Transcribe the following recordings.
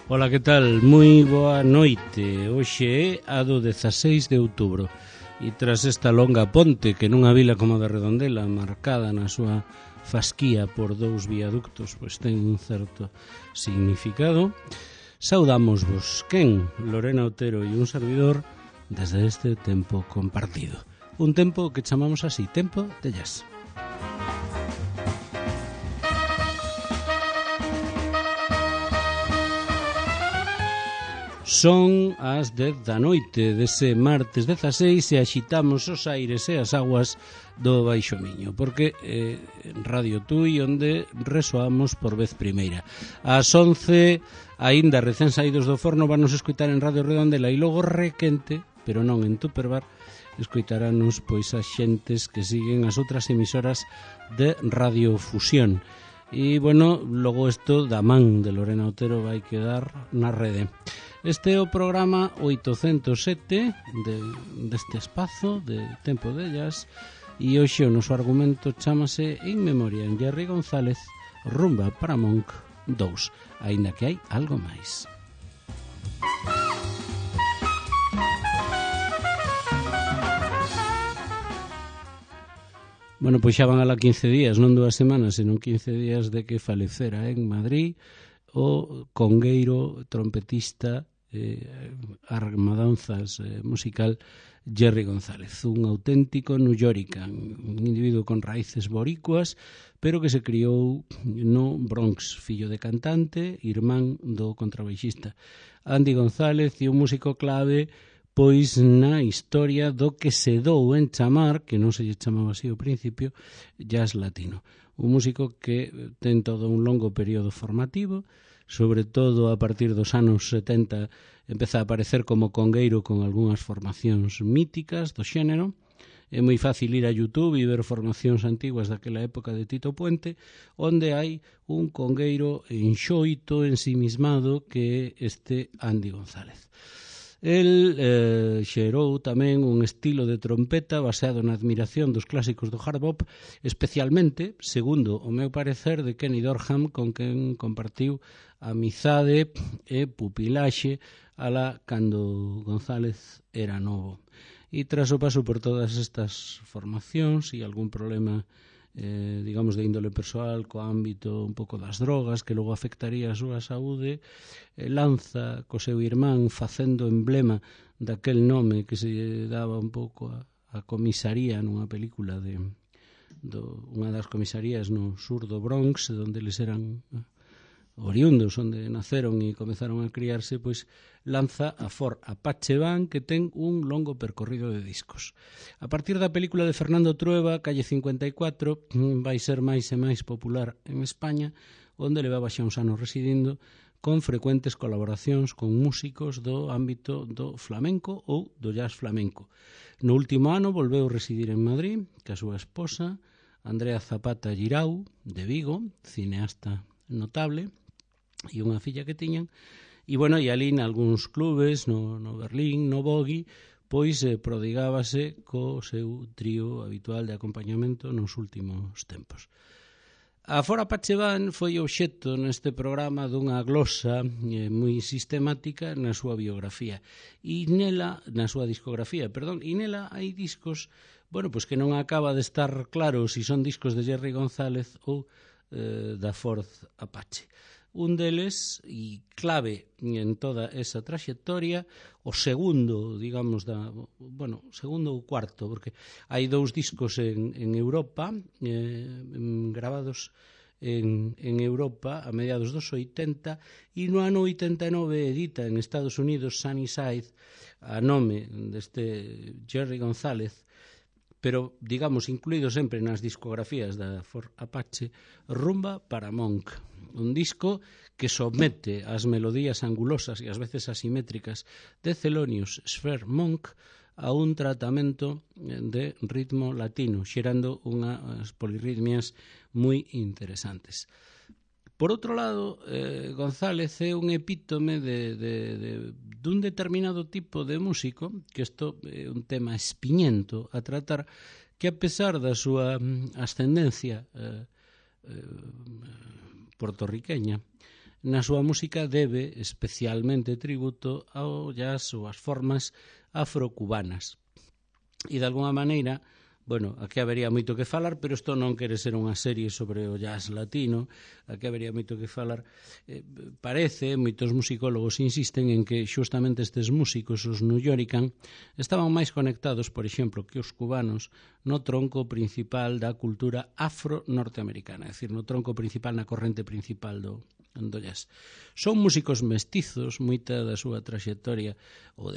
Ola, que tal? Moi boa noite. Hoxe é a do 16 de outubro e tras esta longa ponte que nunha vila como a de Redondela, marcada na súa fasquía por dous viaductos, pois ten un certo significado, saudámosvos quen, Lorena Otero e un servidor, desde este tempo compartido. Un tempo que chamamos así, tempo de jazz. Son as 10 da noite dese martes 16 e axitamos os aires e as aguas do Baixo Miño, porque Radio Tui onde resoamos por vez primeira. Ás 11, aínda recén saídos do forno, vanos escoitar en Radio Redondela e logo requente, pero non en Tupperbar, escoitaranos pois as xentes que siguen as outras emisoras de Radio Fusión. E, bueno, logo isto da man de Lorena Otero vai quedar na rede. Este é o programa 807 deste espazo de Tempo de Jazz e hoxe o noso argumento chámase In Memoriam Jerry González, Rumba para Monk 2, aínda que hai algo máis. Bueno, pois xa van alá 15 días, non 2 semanas, senón 15 días de que falecera en Madrid o congueiro, trompetista, armadanzas musical Jerry González, un auténtico nuyorican, un individuo con raíces boricuas, pero que se criou no Bronx, fillo de cantante, irmán do contrabaixista Andy González e un músico clave pois na historia do que se dou en chamar, que non se lle chamaba así ao principio, jazz latino. Un músico que ten todo un longo período formativo, sobre todo a partir dos anos 70 empeza a aparecer como congueiro con algunhas formacións míticas do xénero. É moi fácil ir a YouTube e ver formacións antiguas daquela época de Tito Puente, onde hai un congueiro enxoito, ensimismado, que é este Andy González. El xerou tamén un estilo de trompeta baseado na admiración dos clásicos do hard bop, especialmente, segundo o meu parecer, de Kenny Dorham, con quen compartiu amizade e pupilaxe alá cando González era novo. E tras o paso por todas estas formacións e algún problema digamos de índole persoal co ámbito un pouco das drogas que logo afectaría a súa saúde, lanza co seu irmán facendo emblema daquel nome que se daba un pouco a comisaría nunha película de unha das comisarías no sur do Bronx, onde eles eran oriundos, onde naceron e comezaron a criarse, pois lanza a Ford Apache Van, que ten un longo percorrido de discos. A partir da película de Fernando Trueba, Calle 54, vai ser máis e máis popular en España, onde levaba xa uns anos residindo, con frecuentes colaboracións con músicos do ámbito do flamenco ou do jazz flamenco. No último ano volveu residir en Madrid, que a súa esposa, Andrea Zapata Girau, de Vigo, cineasta notable, e unha filla que tiñan, e bueno, e ali nalgúns clubes, no Berlín, no Bogi, pois prodigábase co seu trío habitual de acompañamento nos últimos tempos. A Ford Apache Van foi obxecto neste programa dunha glosa moi sistemática na súa biografía e nela, na súa discografía, perdón, e nela hai discos, bueno, pois que non acaba de estar claro se son discos de Jerry González ou da Ford Apache. Un deles, e clave en toda esa traxectoria, o segundo, digamos, segundo ou cuarto, porque hai dous discos en Europa, gravados en Europa a mediados dos 80, e no ano 89 edita en Estados Unidos Sunnyside, a nome deste Jerry González, pero, digamos, incluído sempre nas discografías da Ford Apache, Rumba para Monk, un disco que somete as melodías angulosas e ás veces asimétricas de Thelonious Sphere Monk a un tratamento de ritmo latino, xerando unhas polirritmias moi interesantes. Por outro lado, González é un epítome dun determinado tipo de músico, que isto é un tema espiñento a tratar, que a pesar da súa ascendencia puertorriqueña, na súa música debe especialmente tributo ao jazz ou ás formas afrocubanas. E de alguna maneira, bueno, aquí habería moito que falar, pero isto non quere ser unha serie sobre o jazz latino, aquí habería moito que falar. Parece, moitos musicólogos insisten en que xustamente estes músicos, os Nuyorican, estaban máis conectados, por exemplo, que os cubanos no tronco principal da cultura afro-norteamericana, é dicir, no tronco principal, na corrente principal do jazz. Son músicos mestizos, moita da súa traxectoria, ou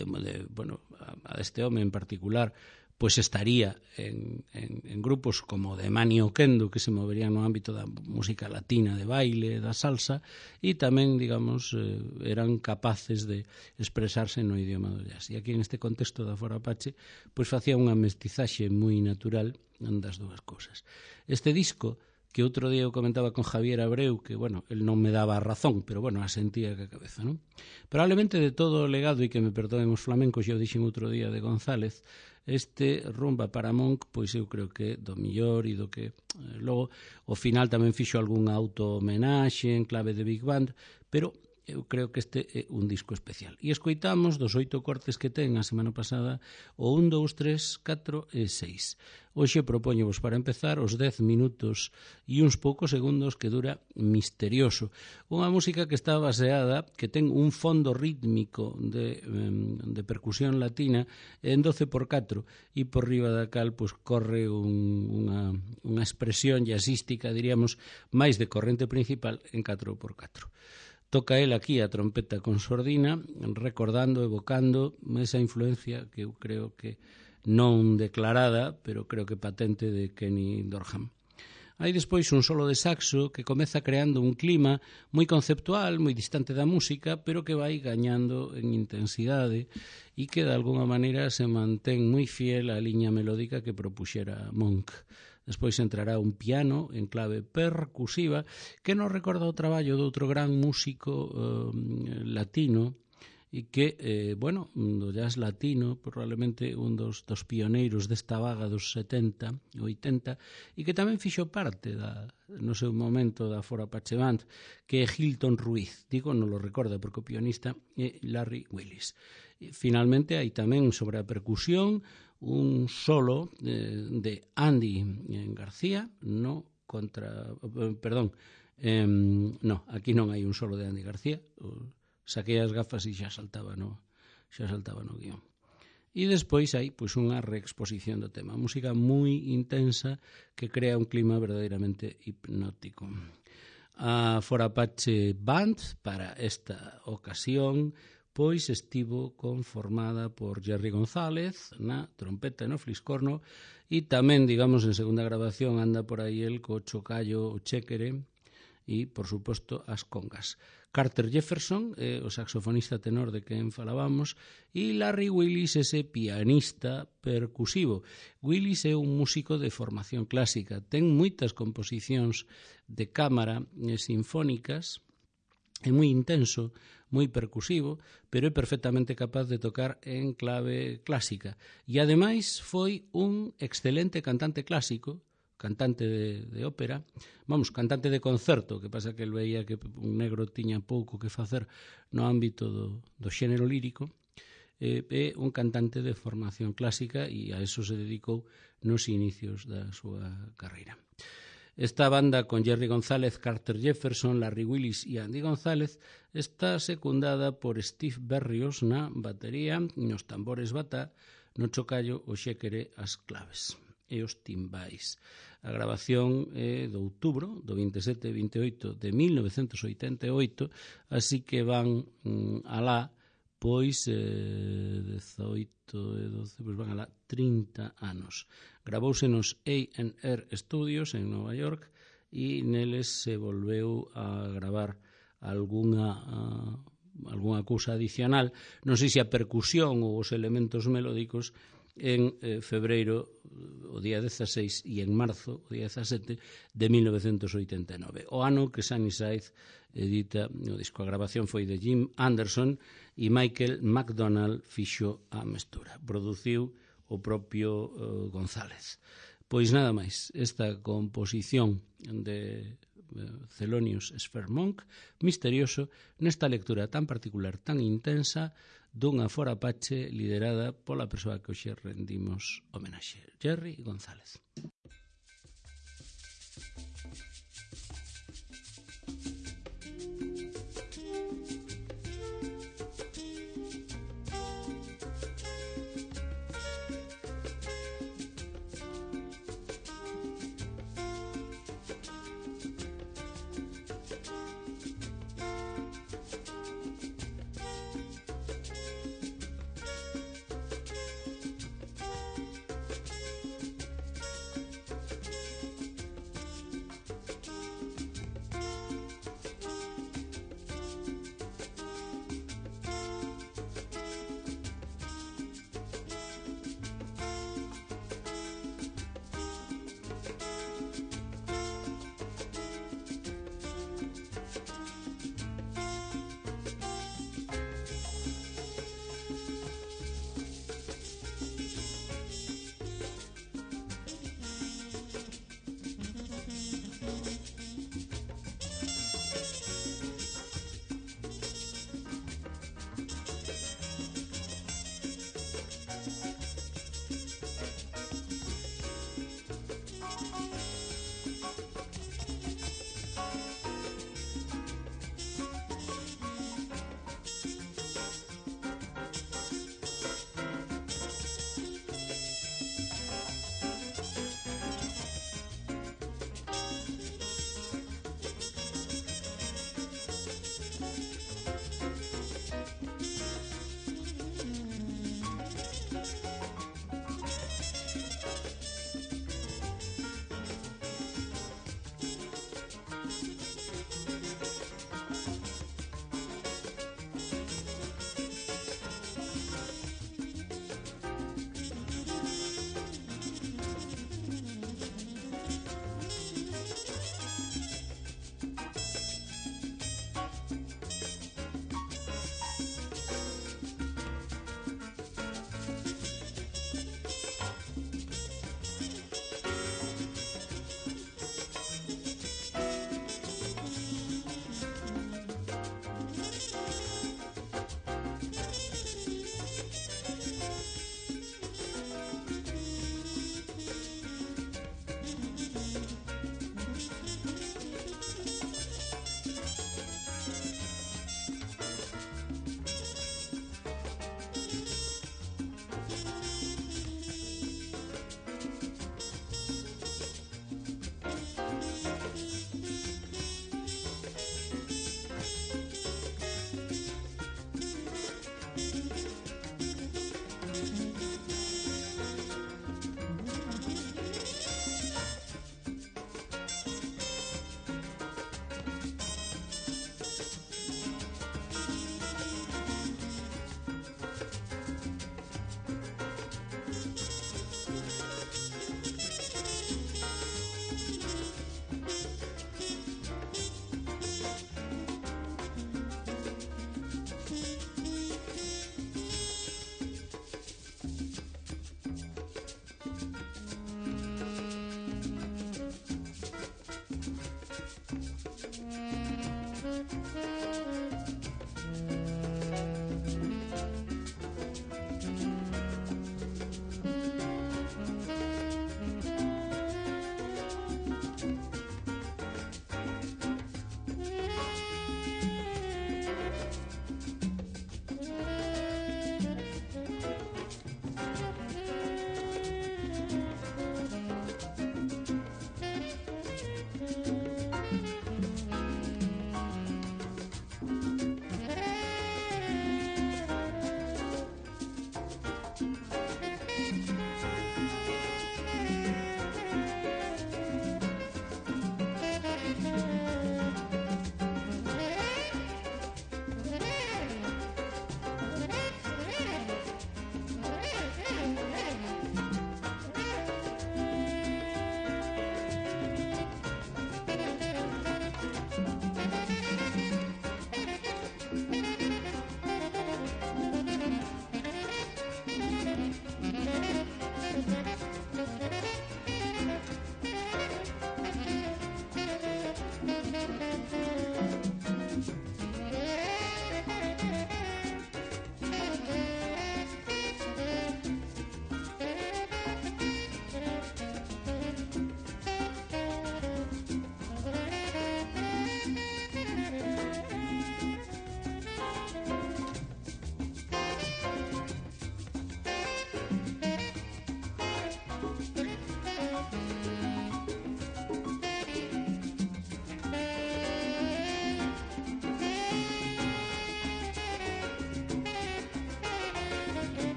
bueno, a deste home en particular, pois estaría en grupos como de Manny Oquendo, que se moverían no ámbito da música latina, de baile, da salsa, e tamén, digamos, eran capaces de expresarse no idioma do jazz. E aquí, en este contexto da Foro Apache, pois facía unha mestizaxe moi natural das dúas cousas. Este disco, que outro día eu comentaba con Javier Abreu, que, bueno, el non me daba a razón, pero, bueno, asentía que a cabeza, non? Probablemente de todo o legado, e que me perdoen os flamencos, eu dixen outro día de González, este Rumba para Monk, pois eu creo que do millor e do que logo ao final tamén fixo algunha auto-homenaxe en clave de Big Band, pero eu creo que este é un disco especial. E escoitamos dos 8 cortes que ten a semana pasada o 1, 2, 3, 4 e 6. Hoxe propoñevos para empezar os 10 minutos e uns poucos segundos que dura Misterioso. Unha música que está baseada, que ten un fondo rítmico de percusión latina en 12x4 e por riba da cal pois, corre unha expresión jazzística, diríamos, máis de corrente principal en 4x4. Toca el aquí a trompeta con sordina, recordando, evocando esa influencia que eu creo que non declarada, pero creo que patente de Kenny Dorham. Hai despois un solo de saxo que comeza creando un clima moi conceptual, moi distante da música, pero que vai gañando en intensidade e que de alguna maneira se mantén moi fiel á liña melódica que propuxera Monk. Despois entrará un piano en clave percusiva que nos recorda o traballo de outro gran músico latino e que, bueno, do jazz latino, probablemente un dos pioneiros desta vaga dos 70, 80, e que tamén fixo parte no seu momento da Foro Apache Band, que é Hilton Ruiz. Digo, non lo recorda porque o pianista é Larry Willis. E, finalmente, hai tamén sobre a percusión un solo de Andy García, no, aquí non hai un solo de Andy García, saquei as gafas e xa saltaba no guión. E despois hai pois unha reexposición do tema, música moi intensa que crea un clima verdadeiramente hipnótico. A Foro Apache Band para esta ocasión pois estivo conformada por Jerry González na trompeta e no fliscorno e tamén, digamos, en segunda grabación anda por aí el co chocallo, o chéquere e, por suposto, as congas. Carter Jefferson, o saxofonista tenor de quen falábamos, e Larry Willis, ese pianista percusivo. Willis é un músico de formación clásica, ten moitas composicións de cámara sinfónicas, é moi intenso, moi percusivo, pero é perfectamente capaz de tocar en clave clásica. E, ademais, foi un excelente cantante clásico, cantante de ópera, cantante de concerto, que pasa que el veía que un negro tiña pouco que facer no ámbito do xénero lírico, é un cantante de formación clásica e a eso se dedicou nos inicios da súa carreira. Esta banda con Jerry González, Carter Jefferson, Larry Willis e Andy González está secundada por Steve Berrios na batería, nos tambores bata, no chocallo, o xéquere, as claves e os timbais. A grabación é de outubro, do 27 e 28 de 1988, así que van alá, pois 18 e 12, pois van alá 30 anos. Gravouse nos A&R Studios en Nova York e neles se volveu a gravar algunha cousa adicional, non sei se a percusión ou os elementos melódicos, en febreiro, o día 16, e en marzo, o día 17, de 1989. O ano que Sunny Side edita o disco. A grabación foi de Jim Anderson e Michael McDonald fixo a mestura. Produciu o propio González. Pois nada máis, esta composición de Thelonious Sphermonk, misterioso nesta lectura tan particular, tan intensa, dunha forapache liderada pola persoa que hoxe rendimos homenaxe, Jerry González.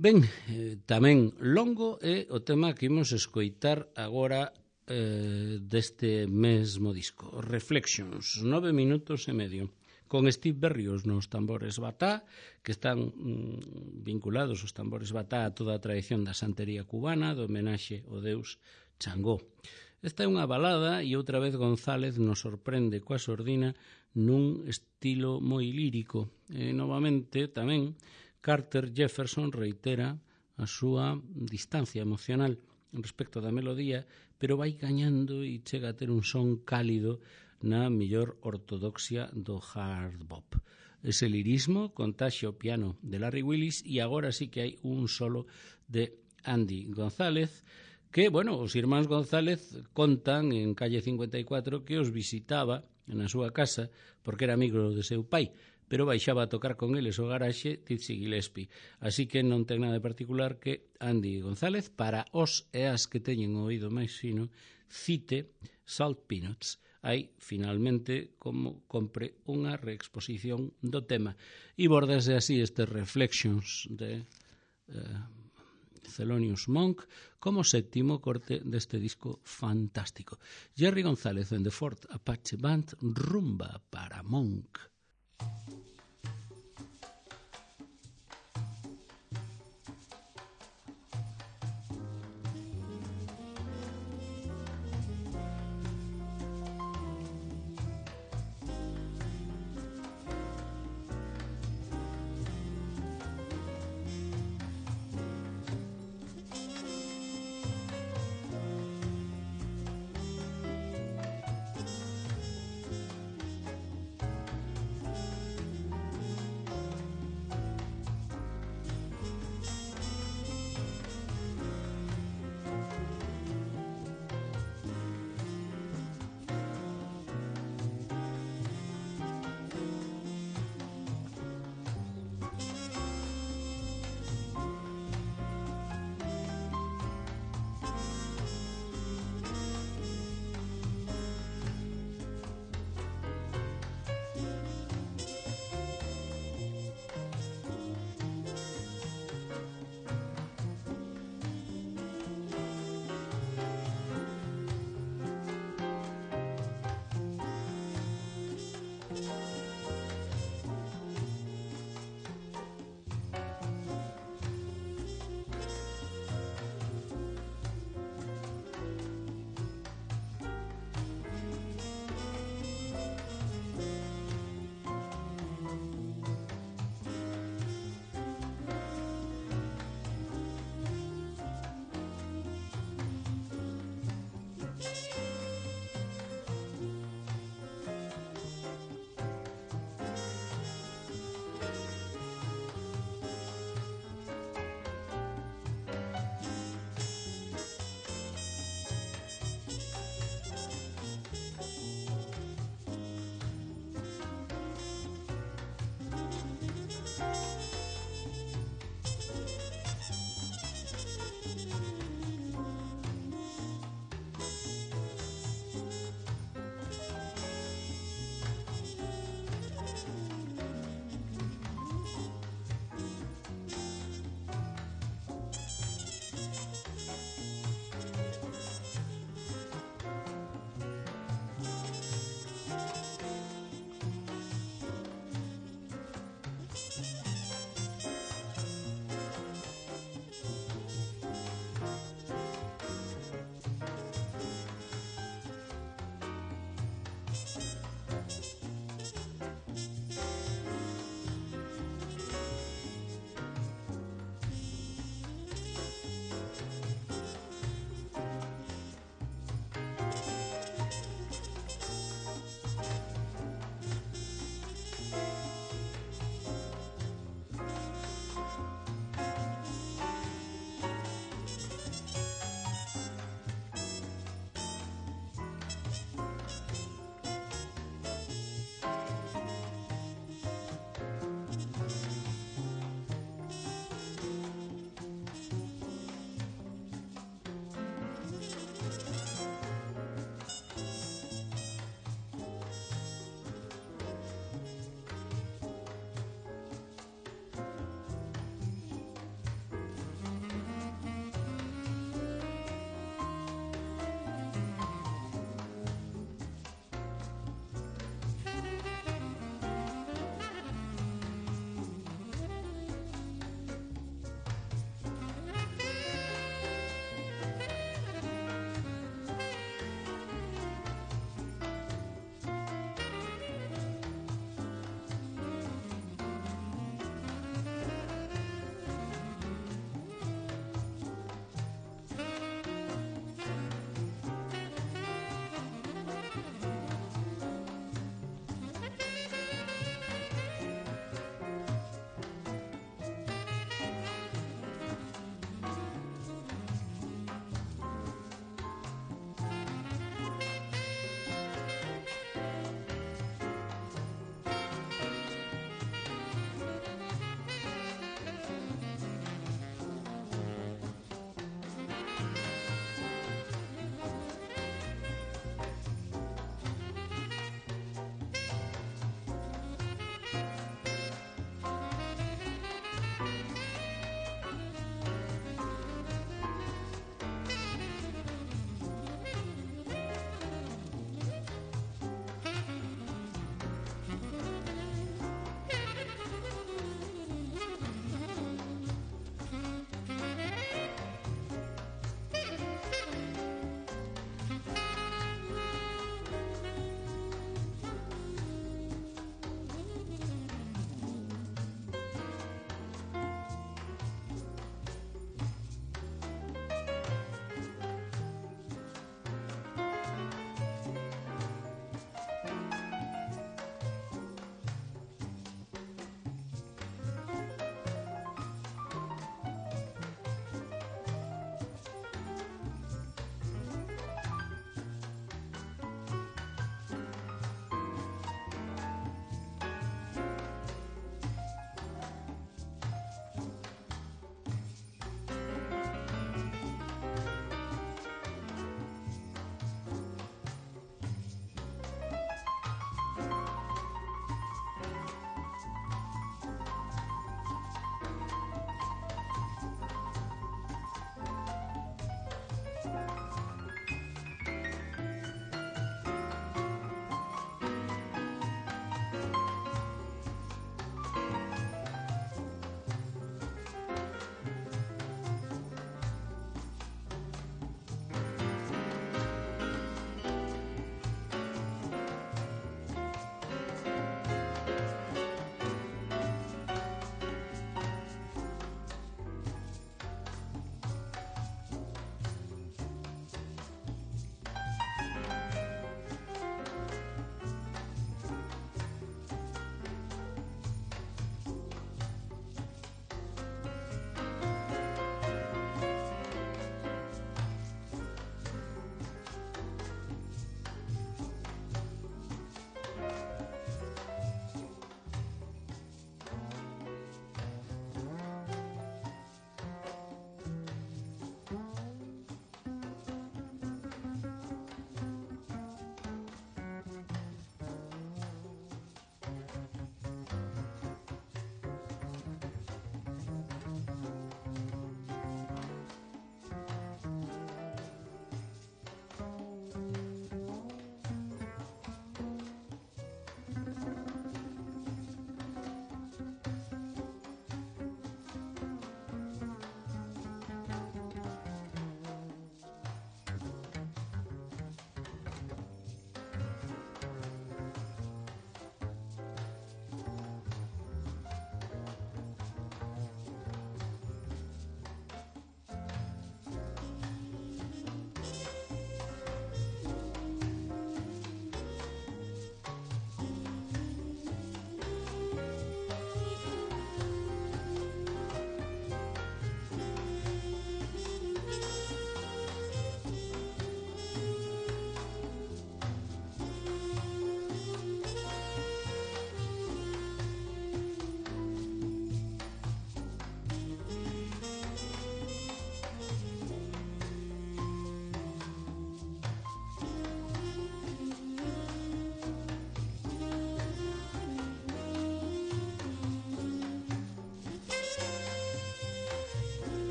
Ben, tamén longo é o tema que imos escoitar agora deste mesmo disco, Reflections, 9 minutos e medio, con Steve Berrios nos tambores batá, que están vinculados os tambores batá a toda a tradición da santería cubana, do homenaxe ao deus Changó. Esta é unha balada e outra vez González nos sorprende coa sordina nun estilo moi lírico. E novamente tamén Carter Jefferson reitera a súa distancia emocional respecto da melodía, pero vai gañando e chega a ter un son cálido na mellor ortodoxia do hard bop. Ese lirismo contaxia o piano de Larry Willis e agora sí que hai un solo de Andy González que, bueno, os irmáns González contan en calle 54 que os visitaba na súa casa porque era amigo de seu pai, pero baixaba a tocar con eles o garaxe Dizzy Gillespie. Así que non ten nada de particular que Andy González, para os e as que teñen o oído máis fino, cite Salt Peanuts. Hai, finalmente, como compre unha reexposición do tema. E bordase así estes Reflections de Thelonious Monk como sétimo corte deste disco fantástico. Jerry González and the Fort Apache Band, Rumba para Monk.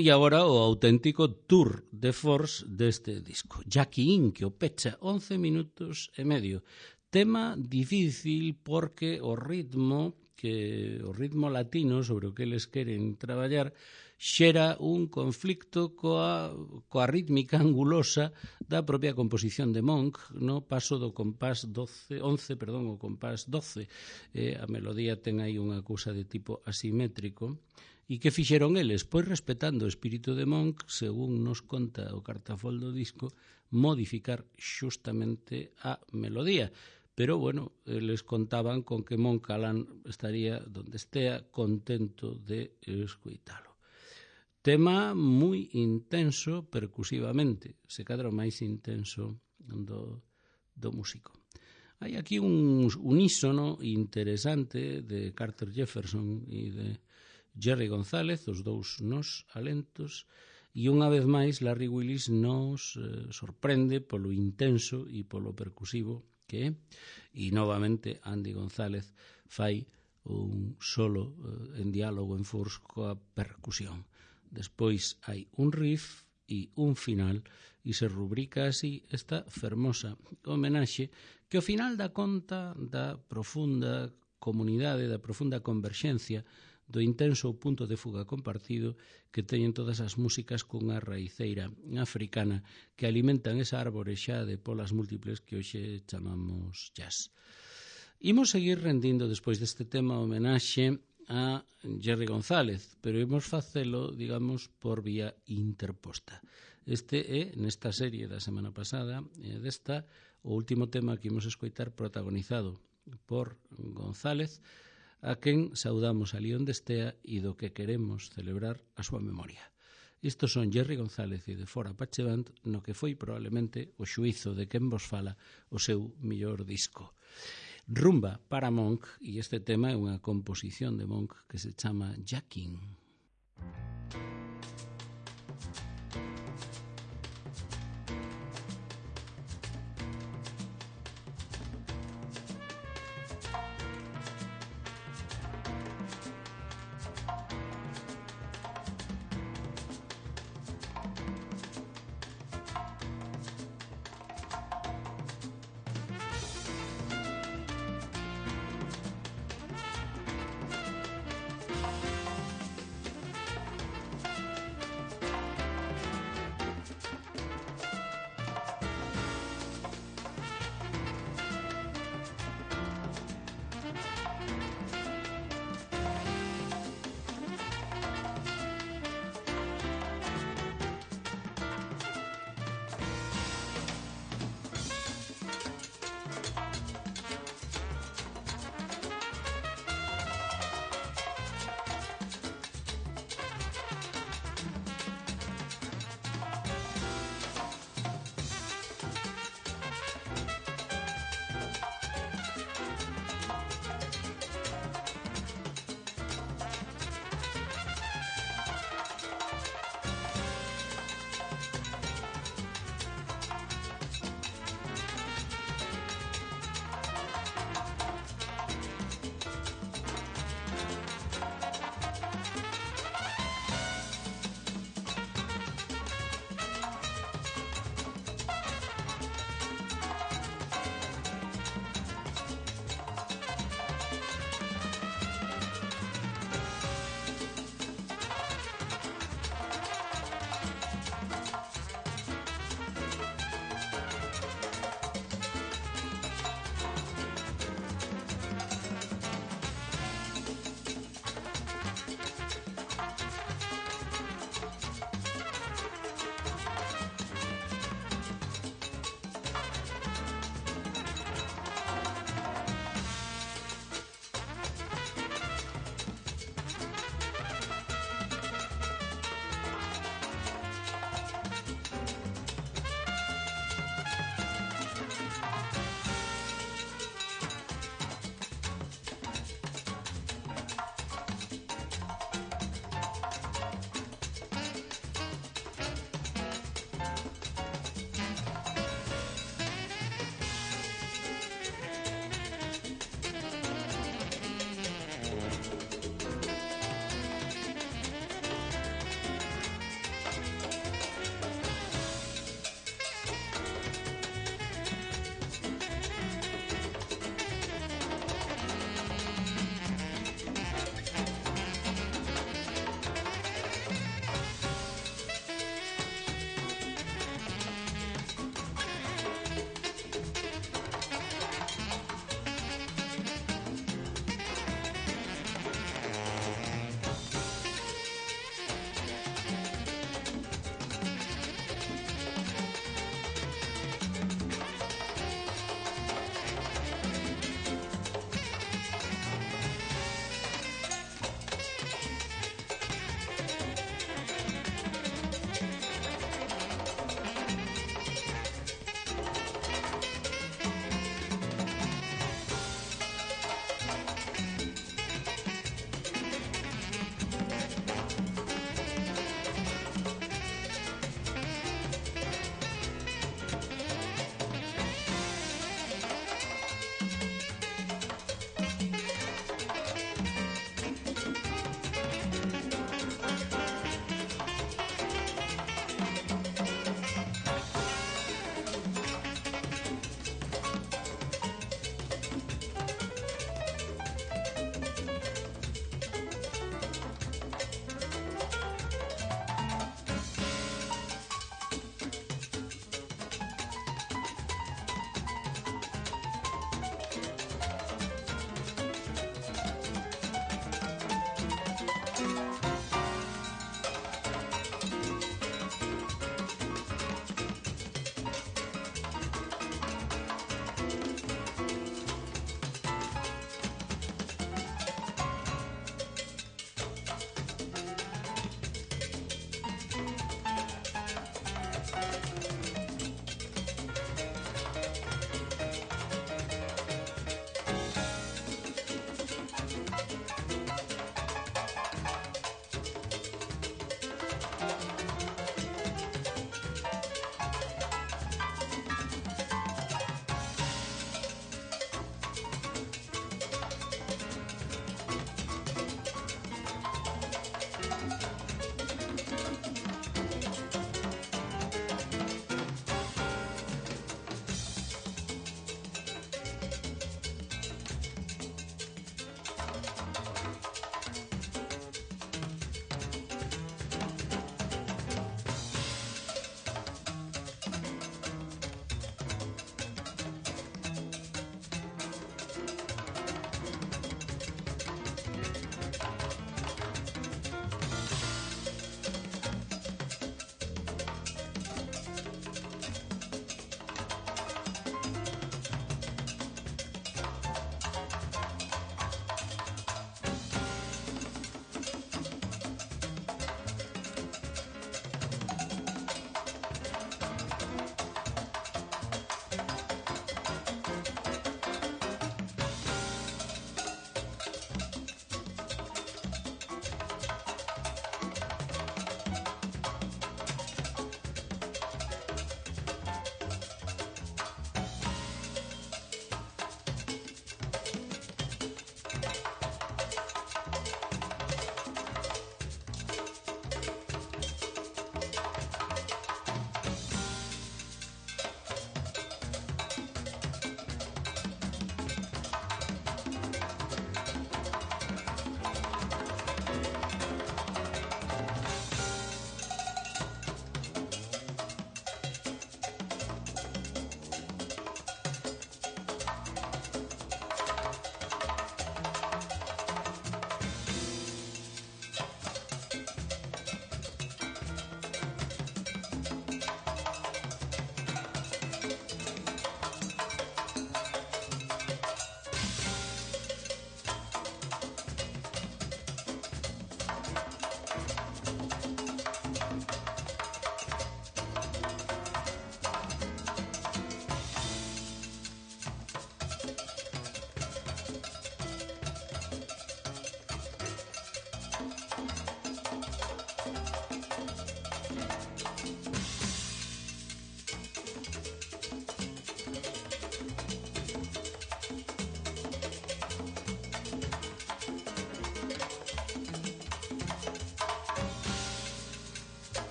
E agora o auténtico tour de force deste disco. Jackie In, que o pecha 11 minutos e medio. Tema difícil porque o ritmo latino sobre o que eles queren traballar xera un conflicto coa rítmica angulosa da propia composición de Monk, no paso do compás 11, o compás 12. A melodía ten aí unha cousa de tipo asimétrico. E que fixeron eles? Pois respetando o espírito de Monk, según nos conta o cartafol do disco, modificar xustamente a melodía. Pero, bueno, eles contaban con que Monk Alán estaría donde estea contento de escoitalo. Tema moi intenso percusivamente, se cadra o máis intenso do músico. Hai aquí un unísono interesante de Carter Jefferson e de Jerry González, os dous nos alentos, e unha vez máis Larry Willis nos sorprende polo intenso e polo percusivo que é, e novamente Andy González fai un solo en diálogo en force coa percusión. Despois hai un riff e un final e se rubrica así esta fermosa homenaxe que ao final dá conta da profunda comunidade, da profunda converxencia do intenso punto de fuga compartido que teñen todas as músicas cunha raiceira africana que alimentan esa árbore xa de polas múltiples que hoxe chamamos jazz. Imos seguir rendindo despois deste tema homenaxe a Jerry González, pero imos facelo, digamos, por vía interposta. Este é, nesta serie da semana pasada, desta, o último tema que imos escoitar protagonizado por González, a quen saudamos ali onde estea e do que queremos celebrar a súa memoria. Estos son Jerry González e de Fora Apache Band no que foi probablemente o xuízo de quen vos fala o seu millor disco. Rumba para Monk, e este tema é unha composición de Monk que se chama Jacking.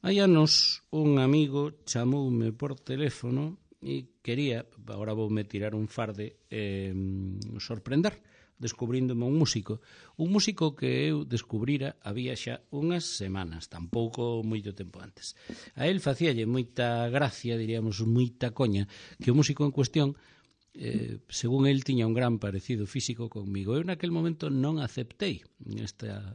Hai anos un amigo chamoume por teléfono e quería, agora voume tirar un farde, sorprender, descubríndome un músico que eu descubrira había xa unhas semanas, tampouco moito tempo antes. A él facíalle moita gracia, diríamos, moita coña, que o músico en cuestión, según el, tiña un gran parecido físico conmigo. Eu naquel momento non aceptei esta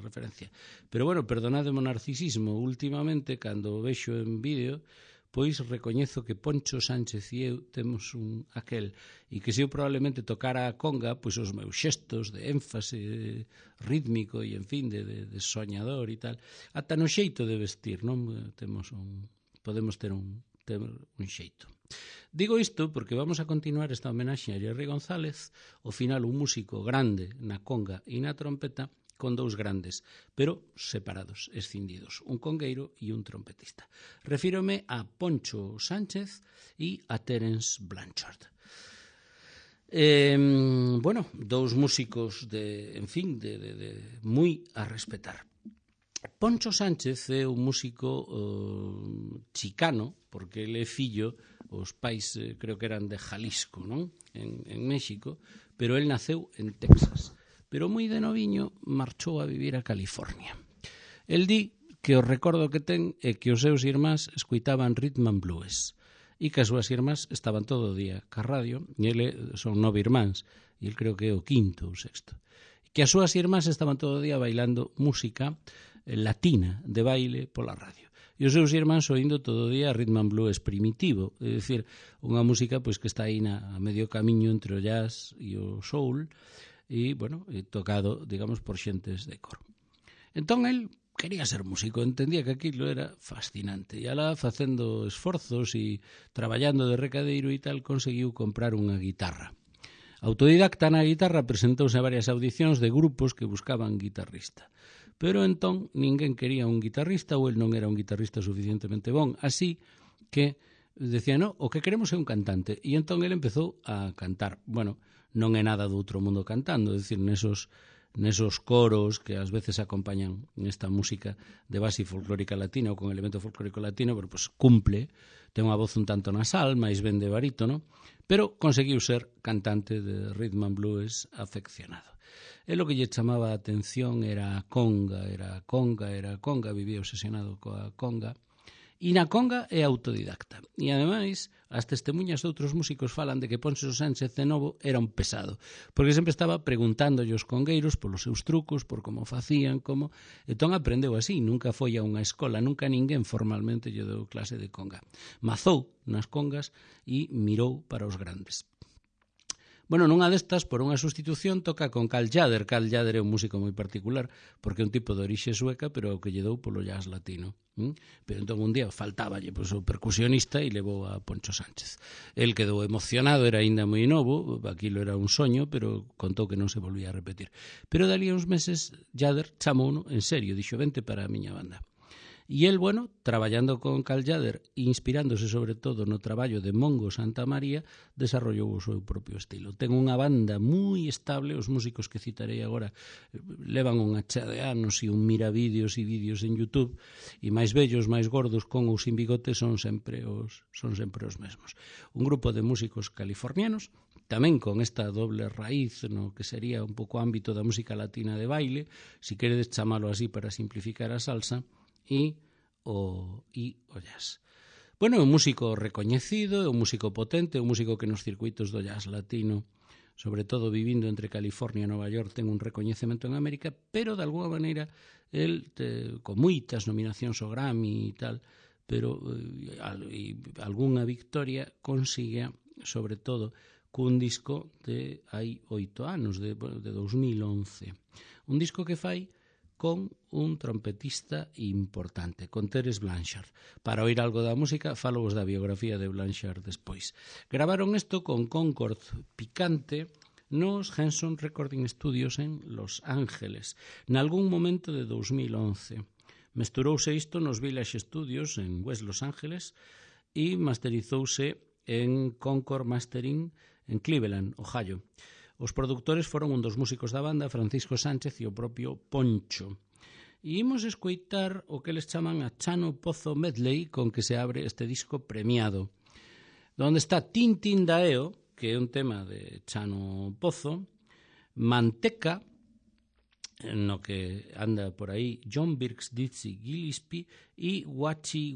referencia. Pero bueno, perdonade o narcisismo, últimamente, cando o vexo en vídeo, pois recoñezo que Poncho Sánchez e eu temos aquel, e que se eu probablemente tocara a conga, pois os meus xestos de énfase rítmico e, en fin, de soñador e tal, ata no xeito de vestir, non? Podemos ter un xeito. Digo isto porque vamos a continuar esta homenaxe a Jerry González, ao final un músico grande na conga e na trompeta, con dous grandes, pero separados, escindidos, un congueiro e un trompetista. Refírome a Poncho Sánchez e a Terence Blanchard. Bueno, dous músicos de moi a respetar. Poncho Sánchez é un músico chicano, porque ele é fillo, os pais creo que eran de Jalisco, non? En México, pero el naceu en Texas. Pero moi de noviño marchou a vivir a California. El di que o recordo que ten é que os seus irmáns escuitaban rhythm and blues e que as súas irmás estaban todo o día ca radio, e ele son 9 irmáns, e el creo que é o quinto ou sexto. Que as súas irmás estaban todo o día bailando música latina de baile pola radio. E os seus irmáns oindo todo o día rhythm and blues primitivo, é dicir, unha música pois que está aí a medio camiño entre o jazz e o soul, e, bueno, tocado, digamos, por xentes de cor. Entón, el quería ser músico, entendía que aquilo era fascinante, e alá, facendo esforzos e traballando de recadeiro e tal, conseguiu comprar unha guitarra. Autodidacta na guitarra, presentouse a varias audicións de grupos que buscaban guitarrista. Pero entón, ninguén quería un guitarrista, ou el non era un guitarrista suficientemente bon, así que decía, no, o que queremos é un cantante. E entón el empezou a cantar. Bueno, non é nada do outro mundo cantando, é dicir, nesos coros que ás veces acompañan nesta música de base folclórica latina ou con elemento folclórico latino, pero pues cumple, ten unha voz un tanto nasal, máis ben de barítono, pero conseguiu ser cantante de rhythm and blues afeccionado. E lo que lle chamaba a atención era a conga, vivía obsesionado coa conga. E na conga é autodidacta. E, ademais, as testemunhas de outros músicos falan de que Poncho Sánchez de novo era un pesado, porque sempre estaba preguntándolle aos congueiros polos seus trucos, por como facían, como... Entón aprendeu así, nunca foi a unha escola, nunca ninguén formalmente lle deu clase de conga. Mazou nas congas e mirou para os grandes. Bueno, nunha destas, por unha sustitución, toca con Carl Jader. Carl Jader é un músico moi particular, porque é un tipo de orixe sueca, pero o que lle dou polo jazz latino. Pero entón un día faltáballe o percusionista e levou a Poncho Sánchez. El quedou emocionado, era aínda moi novo, aquilo era un soño, pero contou que non se volvía a repetir. Pero dali uns meses, Jader chamouno en serio, dixo, vente para a miña banda. E el, bueno, traballando con Carl Jader, inspirándose sobre todo no traballo de Mongo Santamaría, desarrollou o seu propio estilo. Ten unha banda moi estable, os músicos que citarei agora levan unha chea de anos e un mira vídeos e vídeos en YouTube, e máis vellos, máis gordos, con ou sin bigote, son sempre os mesmos. Un grupo de músicos californianos, tamén con esta doble raíz no que sería un pouco ámbito da música latina de baile, si queredes chamalo así para simplificar a salsa, e o jazz. Bueno, é un músico recoñecido, é un músico potente, é un músico que nos circuitos do jazz latino, sobre todo vivindo entre California e Nova York, ten un recoñecemento en América, pero de alguna maneira el, con moitas nominacións ao Grammy e tal, pero algunha victoria consigue, sobre todo, cun disco de hai 8 anos, de 2011. Un disco que fai con un trompetista importante, con Terence Blanchard. Para oír algo da música, falovos da biografía de Blanchard despois. Gravaron isto con Concord Picante nos Henson Recording Studios en Los Ángeles, nalgún momento de 2011. Mesturouse isto nos Village Studios en West Los Ángeles e masterizouse en Concord Mastering en Cleveland, Ohio. Os produtores foron un dos músicos da banda, Francisco Sánchez, e o propio Poncho. E imos escoitar o que les chaman a Chano Pozo Medley, con que se abre este disco premiado, donde está Tintín Daeo, que é un tema de Chano Pozo, Manteca, no que anda por aí John Birks, Dizzy Gillespie e Walter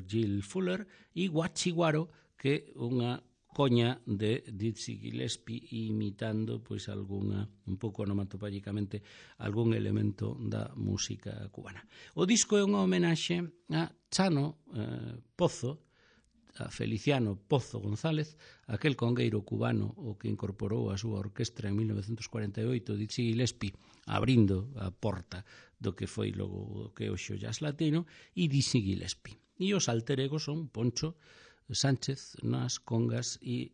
Gill Fuller e Guachiguaro, que unha coña de Dizzy Gillespie imitando pois un pouco onomatopéyicamente algún elemento da música cubana. O disco é unha homenaxe a Chano Pozo, a Feliciano Pozo González, aquel congueiro cubano o que incorporou a súa orquestra en 1948, Dizzy Gillespie, abrindo a porta do que foi logo o que hoxe o jazz latino, e Dizzy Gillespie. E os alter egos son Poncho Sánchez nas congas e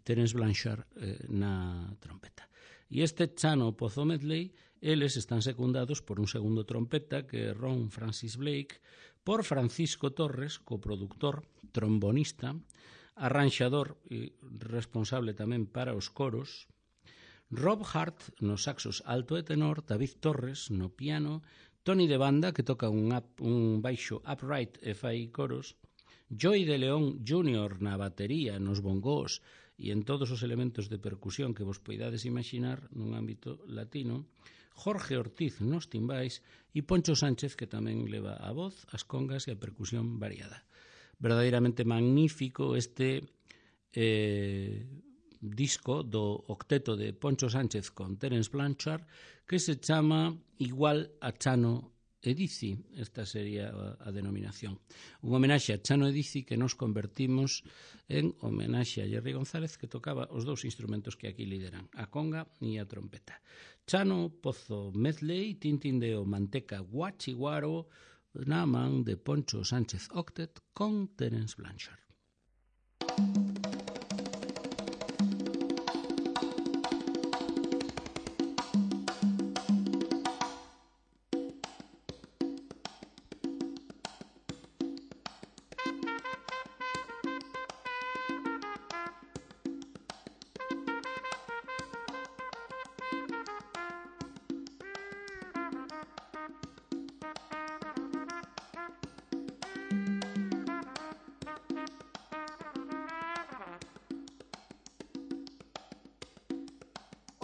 Terence Blanchard na trompeta. E este Chano Pozo Medley, eles están secundados por un segundo trompeta que é Ron Francis Blake, por Francisco Torres, coproductor, trombonista, arranxador e responsable tamén para os coros, Rob Hart nos saxos alto e tenor, David Torres no piano, Tony de Banda, que toca un baixo upright e fai coros, Joey de León Jr. na batería, nos bongós e en todos os elementos de percusión que vos poidades imaginar nun ámbito latino, Jorge Ortiz nos timbais e Poncho Sánchez, que tamén leva a voz, as congas e a percusión variada. Verdadeiramente magnífico este disco do octeto de Poncho Sánchez con Terence Blanchard, que se chama Igual a Chano e Dizzy. Esta sería a denominación. Un homenaxe a Chano e Dizzy que nos convertimos en homenaxe a Jerry González, que tocaba os dous instrumentos que aquí lideran, a conga e a trompeta. Chano Pozo Medley, Tintín Deo, Manteca, Guachiguaro, na man de Poncho Sánchez Octet con Terence Blanchard.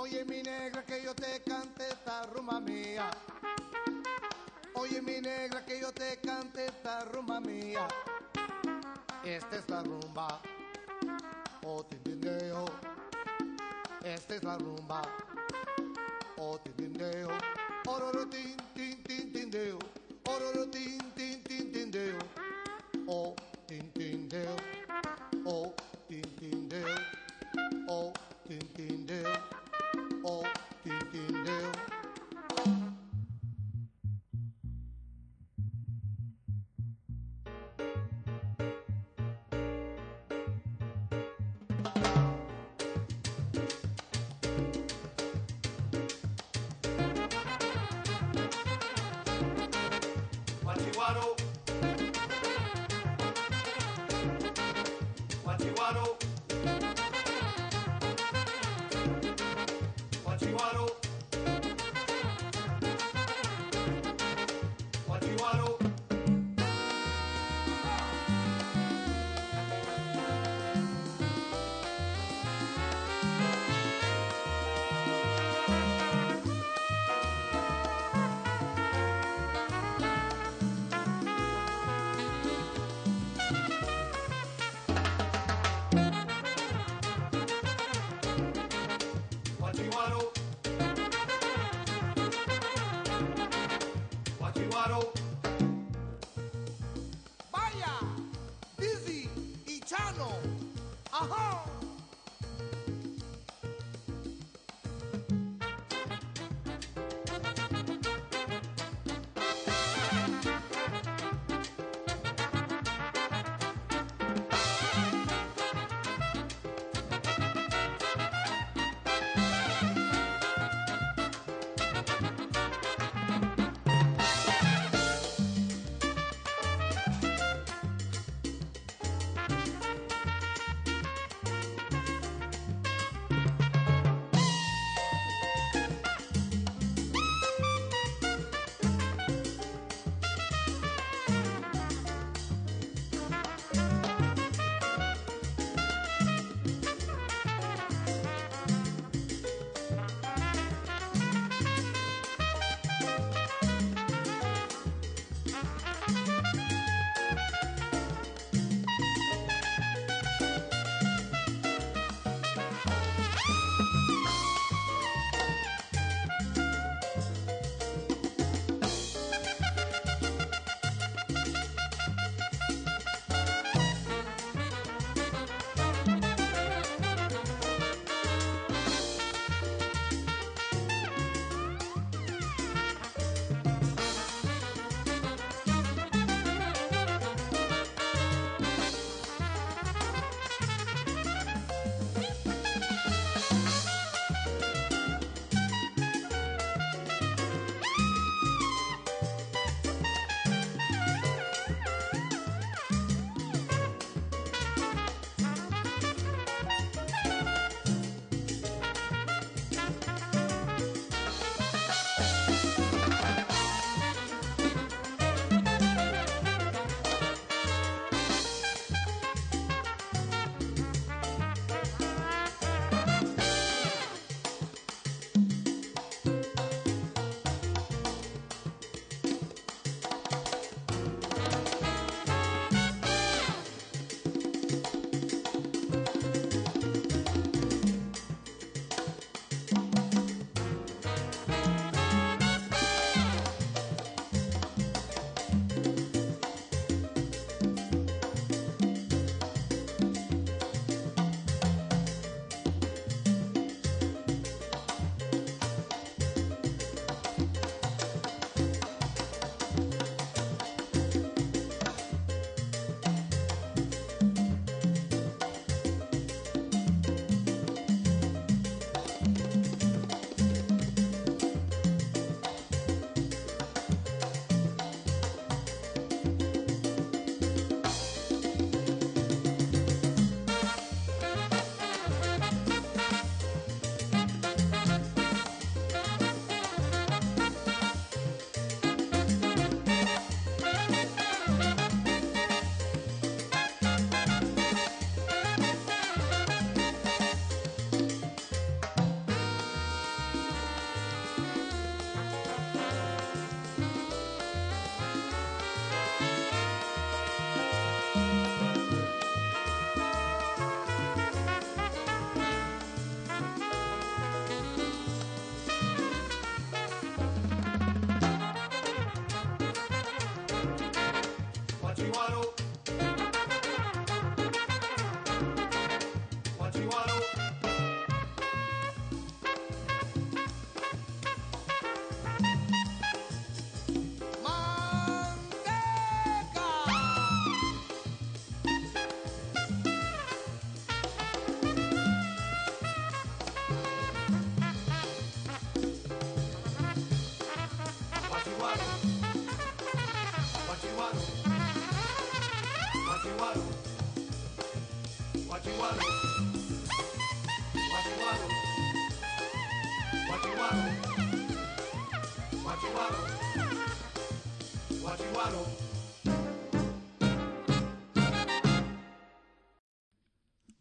Oye mi negra que yo te cante esta rumba mía. Oye mi negra que yo te cante esta rumba mía. Esta es la rumba, oh tindindeo. Esta es la rumba, oh tindindeo. Ororo tin tin tin tindeo. Ororo tin tin tin tindeo. Oh tindindeo. Oh tindindeo. Oh tindindeo. Oh, tintindeo. Guachiguaro. Guachiguaro. Guachiguaro. Guachiguaro. Guachiguaro. Guachiguaro. Vaya, Dizzy y Chano. Ajá.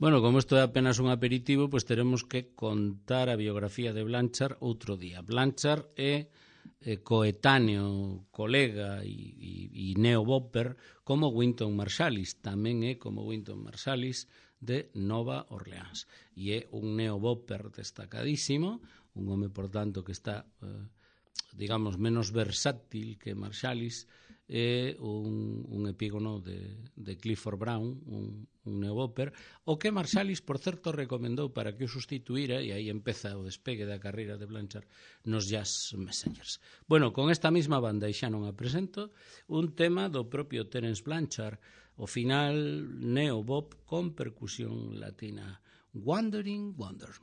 Bueno, como isto é apenas un aperitivo, pois teremos que contar a biografía de Blanchard outro día. Blanchard é coetáneo, colega e neo-bopper como Wynton Marsalis. Tamén é como Wynton Marsalis de Nova Orleans. E é un neo-bopper destacadísimo, un home, por tanto, que está, digamos, menos versátil que Marsalis, é un epígono de Clifford Brown, un neo-bopper, o que Marsalis, por certo, recomendou para que o sustituíra, e aí empeza o despegue da carreira de Blanchard nos Jazz Messengers. Bueno, con esta mesma banda, e xa non a presento, un tema do propio Terence Blanchard, o final neo-bop con percusión latina, Wandering Wonder.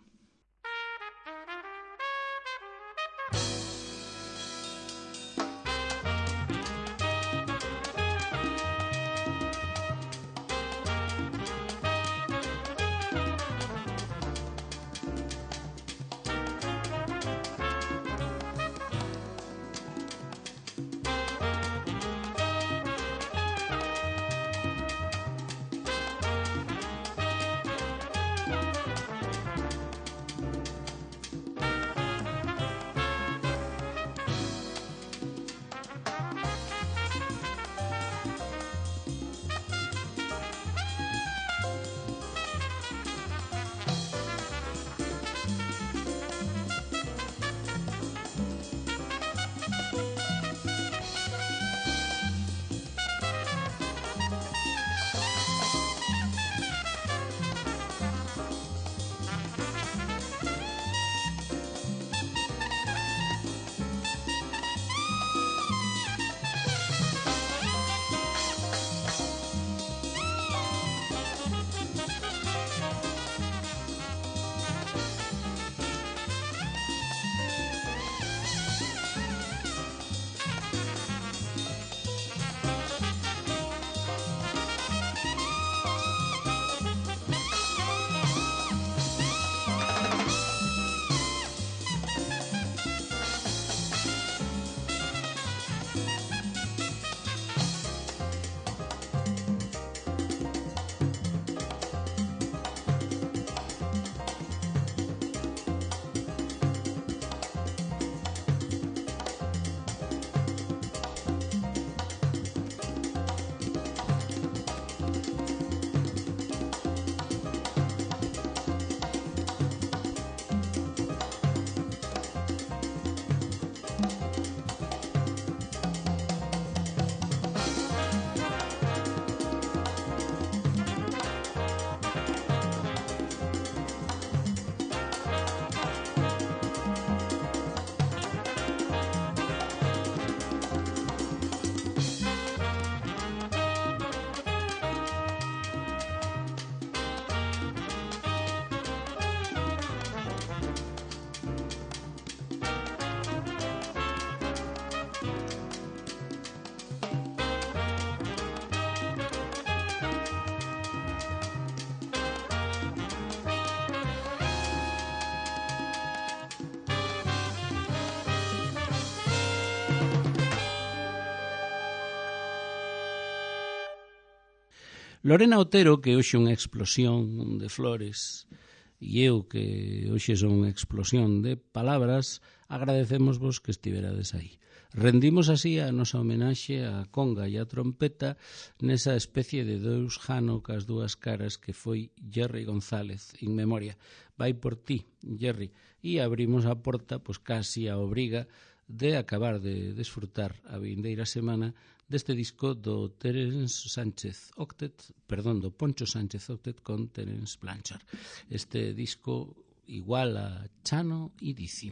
Lorena Otero, que hoxe unha explosión de flores, e eu, que hoxe son unha explosión de palabras, agradecémosvos que estiverades aí. Rendimos así a nosa homenaxe á conga e á trompeta nesa especie de deus jano cas dúas caras que foi Jerry González, in memoria. Vai por ti, Jerry. E abrimos a porta, pois casi a obriga de acabar de desfrutar a vindeira semana deste disco do Terence Sánchez Octet, perdón, do Poncho Sánchez Octet con Terence Blanchard. Este disco igual a Chano e Dizzy.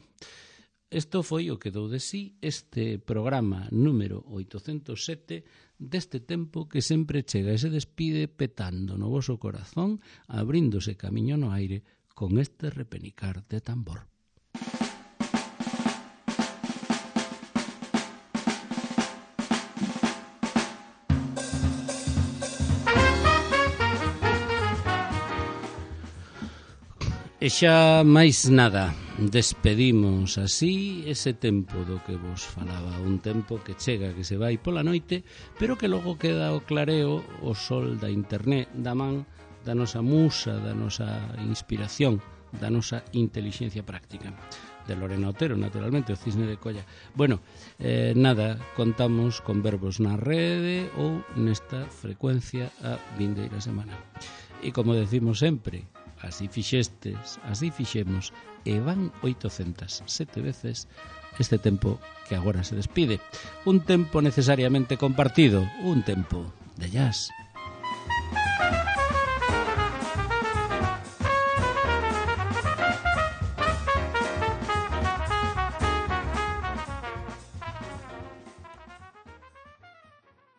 Isto foi o que dou de sí este programa número 807 deste tempo que sempre chega e se despide petando no voso corazón, abríndose camiño no aire con este repenicar de tambor. E xa máis nada. despedimos así ese tempo do que vos falaba, un tempo que chega, que se vai pola noite, pero que logo queda o clareo, o sol da internet, da man da nosa musa, da nosa inspiración, da nosa intelixencia práctica. De Lorena Otero, naturalmente, o Cisne de Colla. Bueno, nada, contamos con verbos na rede ou nesta frecuencia a vindeira semana. E como decimos sempre, así fixestes, así fixemos, e van 807 veces este tempo que agora se despide. Un tempo necesariamente compartido, un tempo de jazz.